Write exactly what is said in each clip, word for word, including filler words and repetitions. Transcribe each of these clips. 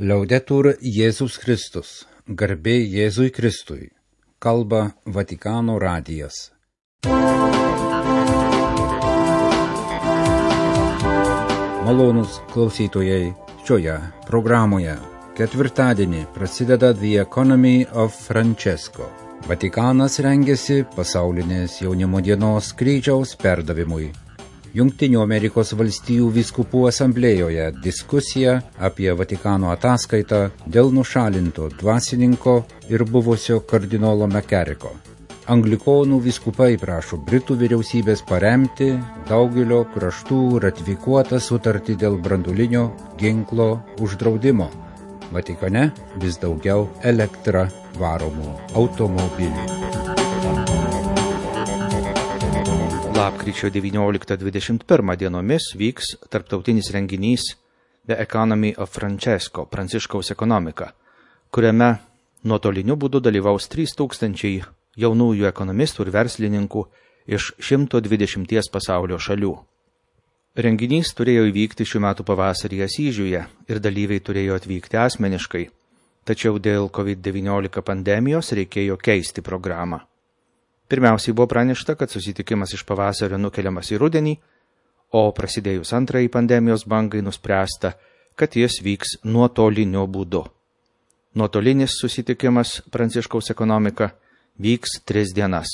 Laudetur Jėzus Kristus, garbė Jėzui Kristui, kalba Vatikano radijas. Malonūs klausytojai, šioje programoje ketvirtadienį prasideda The Economy of Francesco. Vatikanas rengiasi pasaulinės jaunimo dienos kryžiaus perdavimui. Jungtinių Amerikos valstijų vyskupų asamblėjoje diskusija apie Vatikano ataskaitą dėl nušalinto dvasininko ir buvusio kardinolo McCarrico. Anglikonų vyskupai prašo Britų vyriausybės paremti daugelio kraštų ratifikuotą sutartį dėl branduolinio ginklo uždraudimo. Vatikane vis daugiau elektra varomų automobilių. Lapkričio devynioliktą dvidešimt pirmą dienomis vyks tarptautinis renginys The Economy of Francesco, Pranciškaus ekonomika, kuriame nuotoliniu būdu dalyvaus trys tūkstančiai jaunųjų ekonomistų ir verslininkų iš šimto dvidešimties pasaulio šalių. Renginys turėjo įvykti šių metų pavasarį Asyžiuje ir dalyviai turėjo atvykti asmeniškai, tačiau dėl covid devyniolika pandemijos reikėjo keisti programą. Pirmiausiai buvo pranešta, kad susitikimas iš pavasario nukeliamas į rudenį, o prasidėjus antrąjį pandemijos bangai nuspręsta, kad jis vyks nuotoliniu būdu. Nuotolinis susitikimas Pranciškaus ekonomika vyks tris dienas,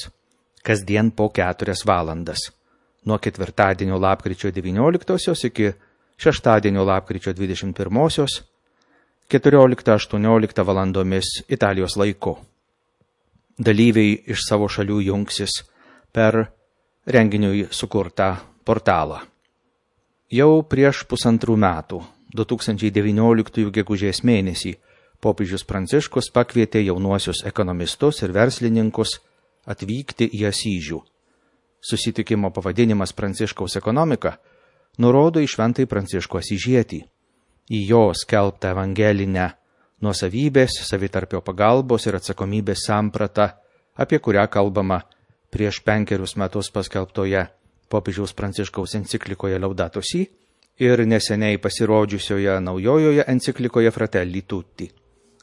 kasdien po keturias valandas, nuo ketvirtadienio lapkričio devynioliktosios iki šeštadienio lapkričio dvidešimt pirmosios, keturioliktą aštuonioliktą valandomis Italijos laiku. Dalyviai iš savo šalių jungsis per renginiui sukurtą portalą. Jau prieš pusantrų metų, du tūkstančiai devynioliktųjų gegužės mėnesį, popiežius Pranciškus pakvietė jaunuosius ekonomistus ir verslininkus atvykti į Asyžių. Susitikimo pavadinimas Pranciškaus ekonomika nurodo į šventąjį Pranciškų Asyžietį, į jo skelbtą evangelinę nuosavybės, savitarpio pagalbos ir atsakomybės sampratą, apie kurią kalbama prieš penkerius metus paskelbtoje popiežiaus Pranciškaus enciklikoje Laudato Si ir neseniai pasirodžiusioje naujojoje enciklikoje Fratelli Tutti.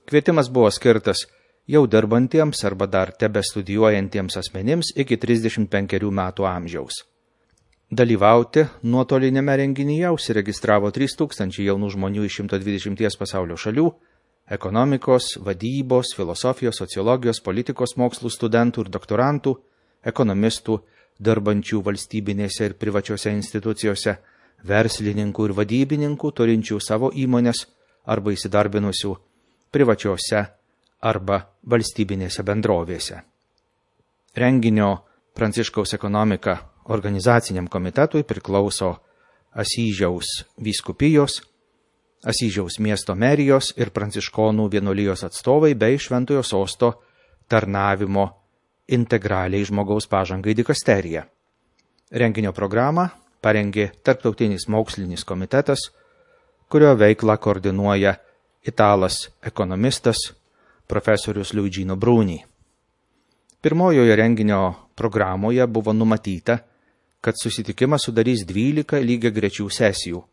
Kvietimas buvo skirtas jau dirbantiems arba dar tebestudijuojantiems asmenims iki trisdešimt penkerių metų amžiaus. Dalyvauti nuotolinėme renginyje užsiregistravo trys tūkstančiai jaunų žmonių iš šimto dvidešimties pasaulio šalių, ekonomikos, vadybos, filosofijos, sociologijos, politikos mokslų studentų ir doktorantų, ekonomistų, dirbančių valstybinėse ir privačiose institucijose, verslininkų ir vadybininkų, turinčių savo įmonės arba įsidarbinusių privačiose arba valstybinėse bendrovėse. Renginio Pranciškaus ekonomika organizaciniam komitetui priklauso Asyžiaus vyskupijos, Asyžiaus miesto merijos ir pranciškonų vienuolijos atstovai bei Šventojo Sosto tarnavimo integraliai žmogaus pažangai dikasterija. Renginio programą parengė Tarptautinis mokslinis komitetas, kurio veiklą koordinuoja italas ekonomistas profesorius Luigino Bruni. Pirmojoje renginio programoje buvo numatyta, kad susitikimas sudarys dvylika lygiagrečių sesijų,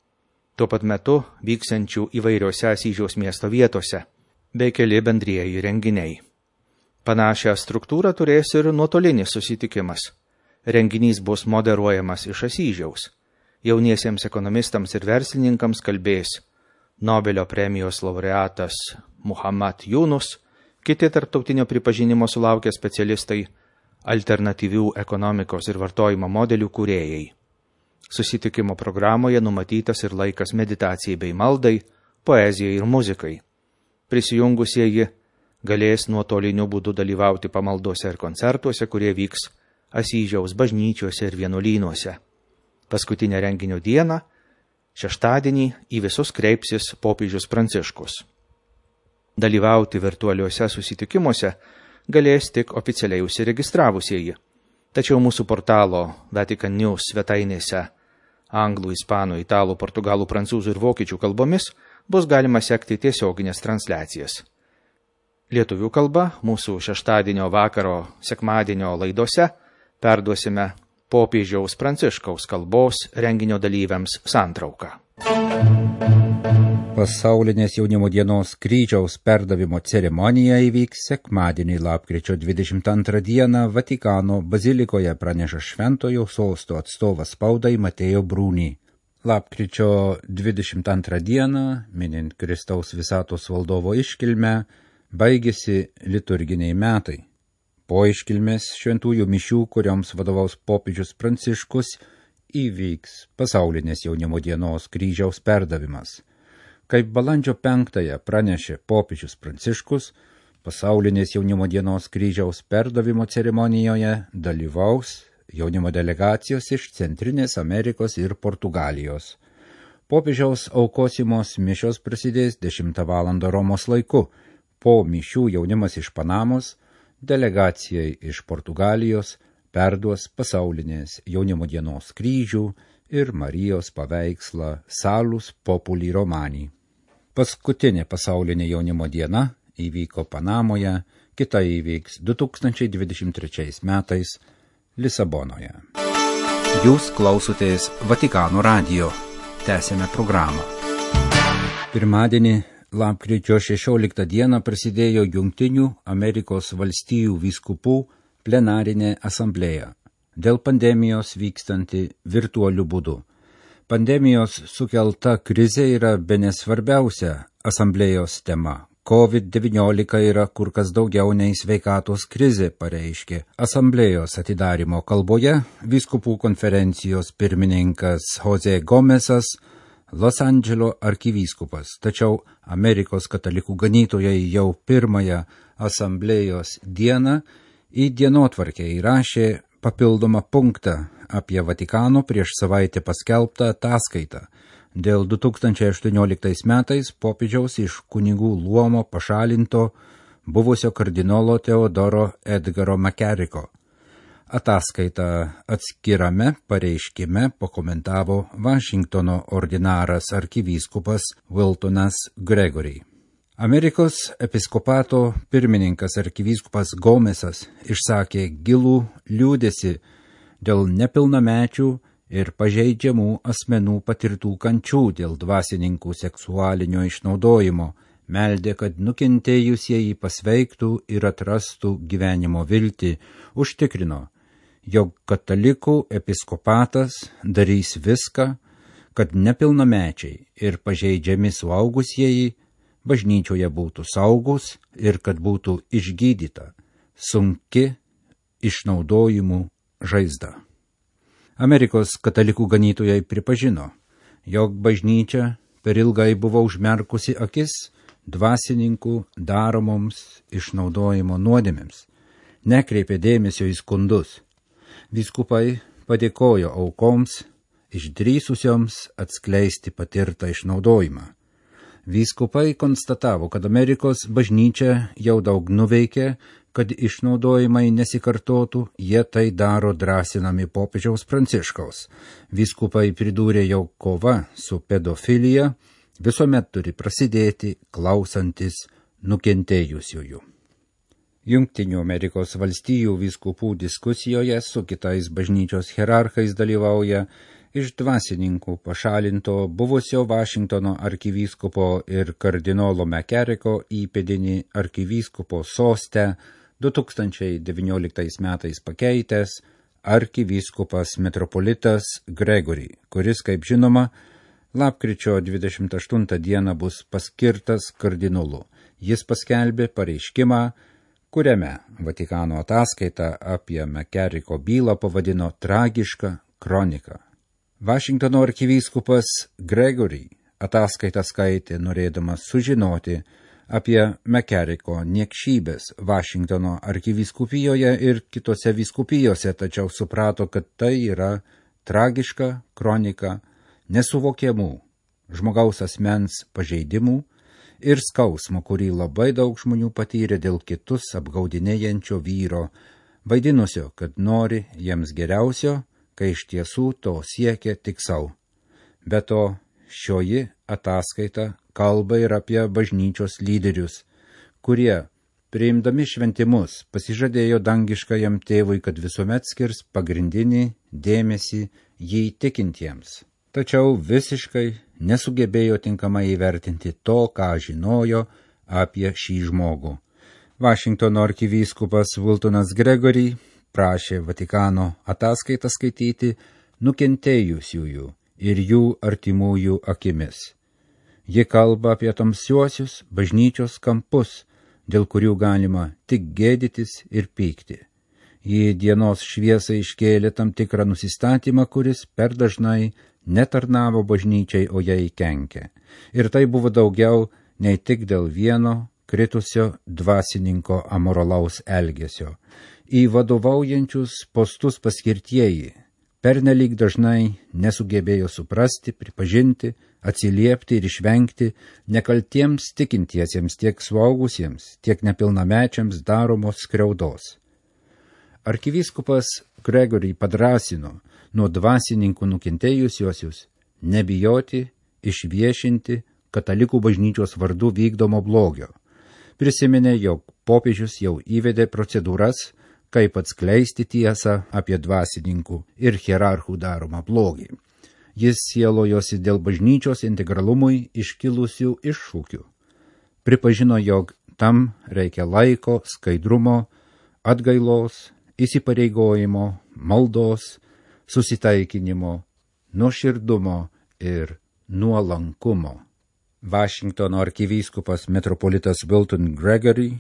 tuo pat metu vyksiančių įvairiose Asyžiaus miesto vietose, bei keli bendrieji renginiai. Panašią struktūrą turės ir nuotolinis susitikimas. Renginys bus moderuojamas iš Asyžiaus. Jauniesiems ekonomistams ir verslininkams kalbės Nobelio premijos laureatas Muhammad Yunus, kiti tarptautinio pripažinimo sulaukę specialistai, alternatyvių ekonomikos ir vartojimo modelių kūrėjai. Susitikimo programoje numatytas ir laikas meditacijai bei maldai, poezijai ir muzikai. Prisijungusieji galės nuotoliniu būdu dalyvauti pamaldose ir koncertuose, kurie vyks Asyžiaus bažnyčiose ir vienuolynuose. Paskutinę renginio dieną, šeštadienį, į visus kreipsis popiežius Pranciškus. Dalyvauti virtualiuose susitikimuose galės tik oficialiai užsiregistravusieji. Tačiau mūsų portalo Vatican News svetainėse anglų, ispanų, italų, portugalų, prancūzų ir vokiečių kalbomis bus galima sekti tiesioginės transliacijas. Lietuvių kalba mūsų šeštadienio vakaro sekmadienio laidose perduosime popiežiaus Pranciškaus kalbos renginio dalyviams santrauką. pasaulinės jaunimo dienos kryžiaus perdavimo ceremonija įvyks sekmadienį lapkričio dvidešimt antrą dieną Vatikano bazilikoje, praneša Šventojo sosto atstovas spaudai Mateo Bruni. Lapkričio dvidešimt antrą dieną, minint Kristaus visatos valdovo iškilmę, baigėsi liturginiai metai. Po iškilmės šventųjų mišių, kurioms vadovaus popiežius Pranciškus, įvyks pasaulinės jaunimo dienos kryžiaus perdavimas. Kaip balandžio penktąją pranešė popiežius Pranciškus, pasaulinės jaunimo dienos kryžiaus perdavimo ceremonijoje dalyvaus jaunimo delegacijos iš Centrinės Amerikos ir Portugalijos. Popiežiaus aukosimos mišios prasidės dešimtą valandą Romos laiku. Po mišių jaunimas iš Panamos delegacijai iš Portugalijos perduos pasaulinės jaunimo dienos kryžių ir Marijos paveikslą Salus Populi Romani. Paskutinė pasaulinė jaunimo diena įvyko Panamoje, kita įvyks du tūkstančiai dvidešimt trečiais metais Lisabonoje. Jūs klausotės Vatikano radijo. Tęsėme programą. Pirmadienį, lapkričio šešioliktą dieną prasidėjo Jungtinių Amerikos valstijų vyskupų plenarinė asamblėja, dėl pandemijos vykstanti virtualiu būdu. Pandemijos sukelta krizė yra bene svarbiausia asamblėjos tema. COVID devyniolika yra kur kas daugiau nei sveikatos krizė, pareiškė asamblėjos atidarymo kalboje vyskupų konferencijos pirmininkas Jose Gomesas, Los Andželo arkivyskupas. Tačiau Amerikos katalikų ganytojai jau pirmąją asamblėjos dieną į dienotvarkę įrašė papildomą punktą apie Vatikano prieš savaitę paskelbtą ataskaitą dėl du tūkstančiai aštuonioliktais metais popiežiaus iš kunigų luomo pašalinto buvusio kardinolo Teodoro Edgaro McCarricko. Ataskaitą atskirame pareiškime pakomentavo Vašingtono ordinaras arkivyskupas Wiltonas Gregory. Amerikos episkopato pirmininkas arkivyskupas Gomesas išsakė gilų liūdesį dėl nepilnamečių ir pažeidžiamų asmenų patirtų kančių dėl dvasininkų seksualinio išnaudojimo, meldė, kad nukentėjusieji pasveiktų ir atrastų gyvenimo viltį, užtikrino, jog katalikų episkopatas darys viską, kad nepilnamečiai ir pažeidžiami suaugusieji bažnyčioje būtų saugus ir kad būtų išgydyta sunki išnaudojimų žaizda. Amerikos katalikų ganytojai pripažino, jog bažnyčia per ilgai buvo užmerkusi akis dvasininkų daromoms išnaudojimo nuodėmėms, nekreipė dėmesio į skundus. Vyskupai padėkojo aukoms, išdrįsusioms atskleisti patirtą išnaudojimą. Vyskupai konstatavo, kad Amerikos bažnyčia jau daug nuveikė, kad išnaudojimai nesikartotų, jie tai daro drąsinami popiežiaus Pranciškaus. Vyskupai pridūrė, jog kova su pedofilija visuomet turi prasidėti klausantis nukentėjusiųjų. Jungtinių Amerikos valstijų vyskupų diskusijoje su kitais bažnyčios hierarchais dalyvauja iš dvasininkų pašalinto buvusio Vašingtono arkivyskupo ir kardinolo McCarricko įpėdinį arkivyskupo soste du tūkstančiai devynioliktais metais pakeitęs arkivyskupas metropolitas Gregory, kuris, kaip žinoma, lapkričio dvidešimt aštuntą dieną bus paskirtas kardinolu. Jis paskelbė pareiškimą, kuriame Vatikano ataskaitą apie McCarricko bylą pavadino tragiška kronika. Vašingtono arkivyskupas Gregory ataskaitą skaitė norėdamas sužinoti apie McCarricko niekšybės Vašingtono arkivyskupijoje ir kitose vyskupijose, tačiau suprato, kad tai yra tragiška kronika nesuvokiamų žmogaus asmens pažeidimų ir skausmo, kurį labai daug žmonių patyrė dėl kitus apgaudinėjančio vyro, vaidinusio, kad nori jiems geriausio, kai iš tiesų to siekia tik savo. Be to, šioji ataskaita kalba ir apie bažnyčios lyderius, kurie, priimdami šventimus, pasižadėjo dangiškajam tėvui, kad visuomet skirs pagrindinį dėmesį jį tikintiems. tačiau visiškai nesugebėjo tinkamai įvertinti to, ką žinojo apie šį žmogų. Vašingtono arkivyskupas Wiltonas Gregory prašė Vatikano ataskaitą skaityti nukentėjusiųjų ir jų artimųjų akimis. Ji kalba apie tamsiuosius bažnyčios kampus, dėl kurių galima tik gėdytis ir pykti. Ji dienos šviesai iškėlė tam tikrą nusistatymą, kuris per dažnai netarnavo bažnyčiai, o jai kenkė. Ir tai buvo daugiau nei tik dėl vieno kritusio dvasininko amoralaus elgesio. Į vadovaujančius postus paskirtieji pernelyg dažnai nesugebėjo suprasti, pripažinti, atsiliepti ir išvengti nekaltiems tikintiesiems tiek suaugusiems, tiek nepilnamečiams daromos skriaudos. Arkivyskupas Gregory padrąsino nuo dvasininkų nukentėjusiuosius nebijoti išviešinti katalikų bažnyčios vardu vykdomo blogio. Prisiminė, jog popiežius jau įvedė procedūras, kaip atskleisti tiesą apie dvasininkų ir hierarchų daromą blogį. Jis sielojosi dėl bažnyčios integralumui iškilusių iššūkių. Pripažino, jog tam reikia laiko, skaidrumo, atgailos, įsipareigojimo, maldos, susitaikinimo, nuoširdumo ir nuolankumo. Vašingtono arkivyskupas metropolitas Wilton Gregory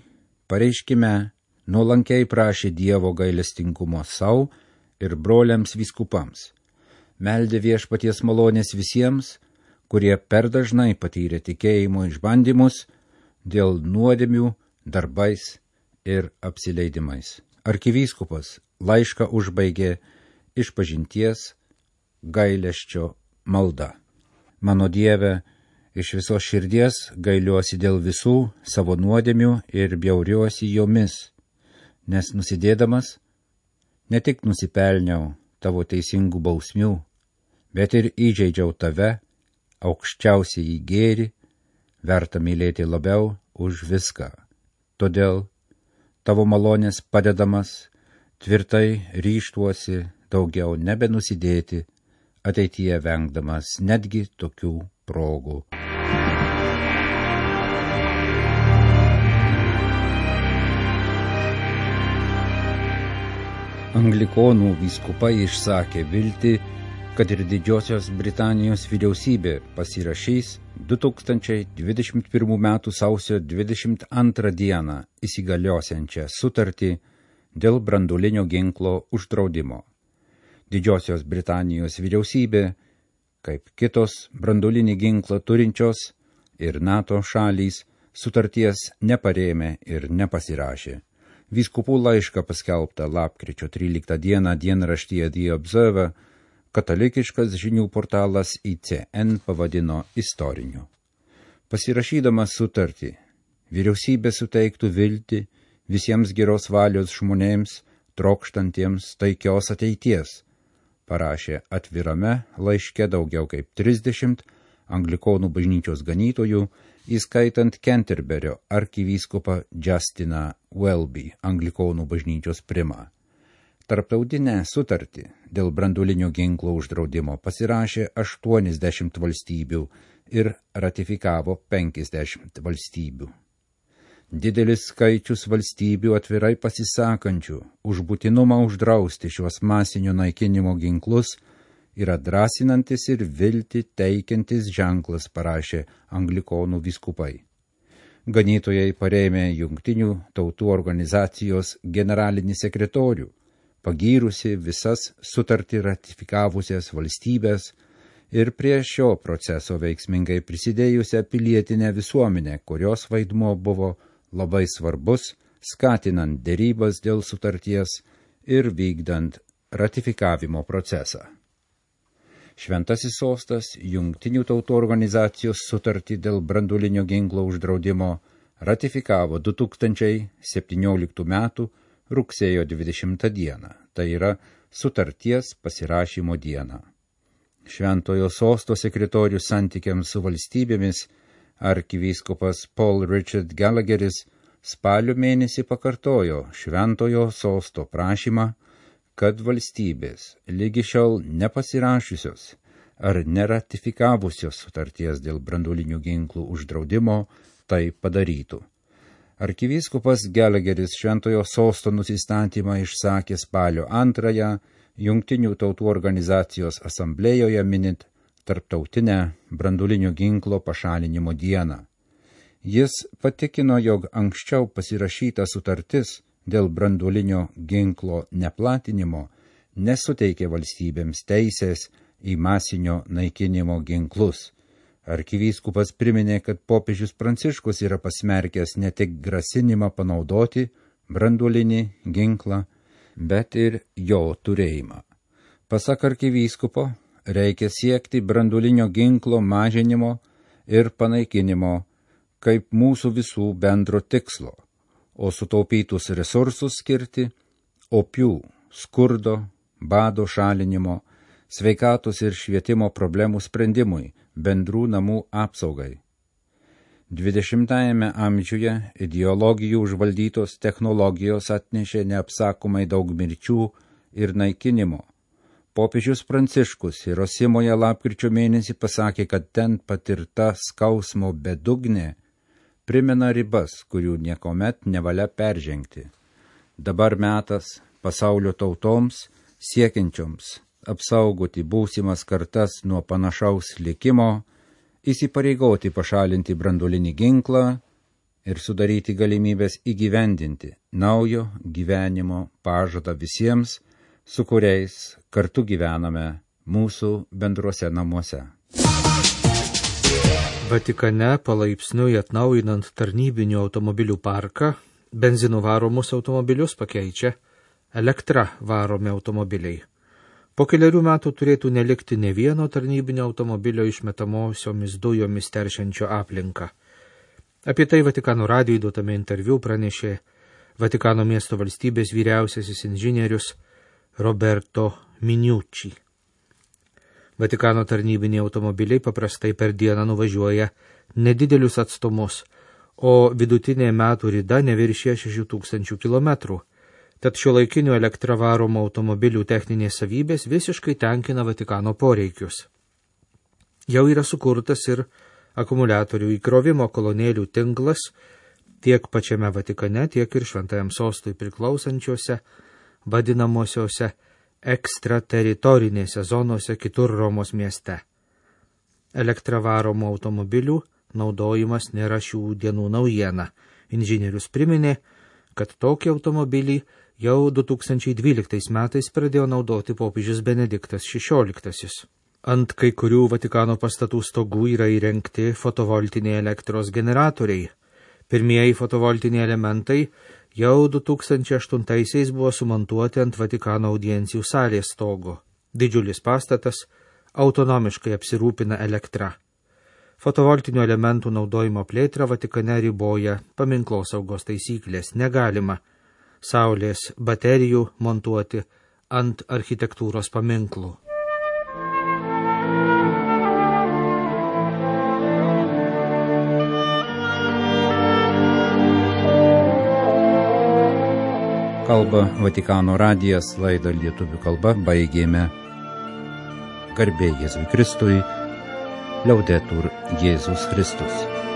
pareiškime nuolankiai prašė Dievo gailestingumo sau ir broliams vyskupams. Meldė viešpaties malonės visiems, kurie per dažnai patyrė tikėjimo išbandymus dėl nuodėmių, darbais ir apsileidimais. Arkivyskupas laišką užbaigė išpažinties gailesčio malda. Mano Dieve, iš visos širdies gailiuosi dėl visų savo nuodėmių ir bjauriuosi jomis, nes nusidėdamas ne tik nusipelniau tavo teisingų bausmių, bet ir įžeidžiau tave, aukščiausiai į gėrį, verta mylėti labiau už viską. Todėl tavo malonės padedamas, tvirtai ryžtuosi daugiau nebenusidėti, ateityje vengdamas netgi tokių progų. Anglikonų vyskupai išsakė viltį, kad ir Didžiosios Britanijos vyriausybė pasirašys du tūkstančiai dvidešimt pirmų metų sausio dvidešimt antrą dieną įsigaliosiančią sutartį dėl branduolinio ginklo uždraudimo. Didžiosios Britanijos vyriausybė, kaip kitos branduolinį ginklą turinčios ir NATO šalys, sutarties neparėmė ir nepasirašė. Vyskupų laišką paskelbtą lapkričio tryliktą dieną dienraštyje The Observer katalikiškas žinių portalas I C N pavadino istoriniu. Pasirašydamas sutartį, vyriausybė suteiktų viltį visiems geros valios žmonėms, trokštantiems taikios ateities, parašė atvirame laiške daugiau kaip trisdešimt anglikonų bažnyčios ganytojų, įskaitant Canterburio arkivyskupą Justiną Welby, anglikonų bažnyčios primą. Tarptautinę sutartį dėl branduolinio ginklo uždraudimo pasirašė aštuoniasdešimt valstybių ir ratifikavo penkiasdešimt valstybių. Didelis skaičius valstybių atvirai pasisakančių už būtinumą uždrausti šiuos masinio naikinimo ginklus yra drąsinantis ir viltį teikiantis ženklas, parašė anglikonų vyskupai. Ganytojai parėmė Jungtinių tautų organizacijos generalinį sekretorių, pagyrusi visas sutartį ratifikavusias valstybės ir prie šio proceso veiksmingai prisidėjusią pilietinę visuomenę, kurios vaidmuo buvo labai svarbus, skatinant derybas dėl sutarties ir vykdant ratifikavimo procesą. Šventasis sostas Jungtinių tautų organizacijos sutartį dėl branduolinio ginklo uždraudimo ratifikavo du tūkstančiai septynioliktų metų rugsėjo dvidešimtą dieną, tai yra sutarties pasirašymo dieną. Šventojo sosto sekretorius santykiams su valstybėmis arkivyskupas Paul Richard Gallagheris spalio mėnesį pakartojo šventojo sosto prašymą, kad valstybės lygi šiol nepasirašiusios ar neratifikavusios sutarties dėl branduolinių ginklų uždraudimo tai padarytų. Arkivyskupas Gelegeris Šventojo Sosto nusistatymą išsakė spalio antrąją Jungtinių tautų organizacijos asamblėjoje minint Tarptautinę branduolinio ginklo pašalinimo dieną. Jis patikino, jog anksčiau pasirašyta sutartis dėl branduolinio ginklo neplatinimo nesuteikė valstybėms teisės į masinio naikinimo ginklus. Arkivyskupas priminė, kad popiežius Pranciškus yra pasmerkęs ne tik grasinimą panaudoti branduolinį ginklą, bet ir jo turėjimą. Pasak arkivyskupo, reikia siekti branduolinio ginklo mažinimo ir panaikinimo kaip mūsų visų bendro tikslo, o sutaupytus resursus skirti opių, skurdo, bado šalinimo, sveikatos ir švietimo problemų sprendimui, bendrų namų apsaugai. dvidešimtajame amžiuje ideologijų užvaldytos technologijos atnešė neapsakomai daug mirčių ir naikinimo. Popiežius Pranciškus Hirosimoje lapkričio mėnesį pasakė, kad ten patirta skausmo bedugnė primena ribas, kurių niekomet nevalia peržengti. Dabar metas pasaulio tautoms siekiančioms apsaugoti būsimas kartas nuo panašaus likimo, įsipareigoti pašalinti branduolinį ginklą ir sudaryti galimybės įgyvendinti naujo gyvenimo pažadą visiems, su kuriais kartu gyvename mūsų bendruose namuose. Vatikane palaipsniui atnaujinant tarnybinių automobilių parką, benzinu varomus automobilius pakeičia elektra varomi automobiliai. Po keliarių metų turėtų nelikti ne vieno tarnybinio automobilio išmetamosiomis dujomis teršiančio aplinką. Apie tai Vatikano radijui duotame interviu pranešė Vatikano miesto valstybės vyriausiasis inžinierius Roberto Miniucci. Vatikano tarnybiniai automobiliai paprastai per dieną nuvažiuoja nedidelius atstumus, o vidutinė metų rida neviršė šešių tūkstančių kilometrų. Tad šiuolaikinių elektra varomų automobilių techninės savybės visiškai tenkina Vatikano poreikius. Jau yra sukurtas ir akumuliatorių įkrovimo kolonėlių tinklas tiek pačiame Vatikane, tiek ir Šventajam Sostui priklausančiose, vadinamosiose ekstrateritorinėse zonose kitur Romos mieste. Elektra varomų automobilių naudojimas nėra šių dienų naujiena. Inžinierius priminė, kad tokį automobilį jau du tūkstančiai dvyliktais metais pradėjo naudoti popiežius Benediktas šešioliktasis. Ant kai kurių Vatikano pastatų stogų yra įrengti fotovoltiniai elektros generatoriai. Pirmieji fotovoltiniai elementai jau du tūkstančiai aštuntaisiais buvo sumontuoti ant Vatikano audiencijų salės stogo. Didžiulis pastatas autonomiškai apsirūpina elektra. Fotovoltinių elementų naudojimo plėtrą Vatikane riboja paminklosaugos taisyklės. Negalima saulės baterijų montuoti ant architektūros paminklų. Kalba Vatikano radijas, laidą lietuvių kalba baigėme. Garbė Jėzui Kristui, Liaudetur Jėzus Kristus.